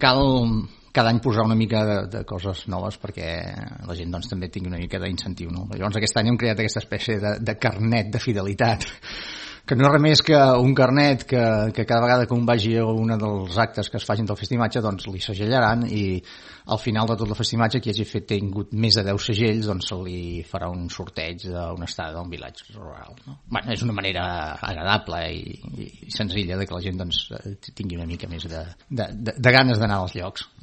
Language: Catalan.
cal cada any posar una mica de coses noves perquè la gent doncs, també tingui una mica d'incentiu. No? Llavors aquest any hem creat aquesta espècie de carnet de fidelitat, que no és res més que un carnet que cada vegada que un vagi a un dels actes que es facin del festimatge doncs li segellaran i al final de tot el festimatge qui hagi tingut més de 10 segells doncs se li farà un sorteig d'una estada d'un vilatge rural. No? Bueno, és una manera agradable i senzilla de que la gent doncs, tingui una mica més de ganes d'anar als llocs.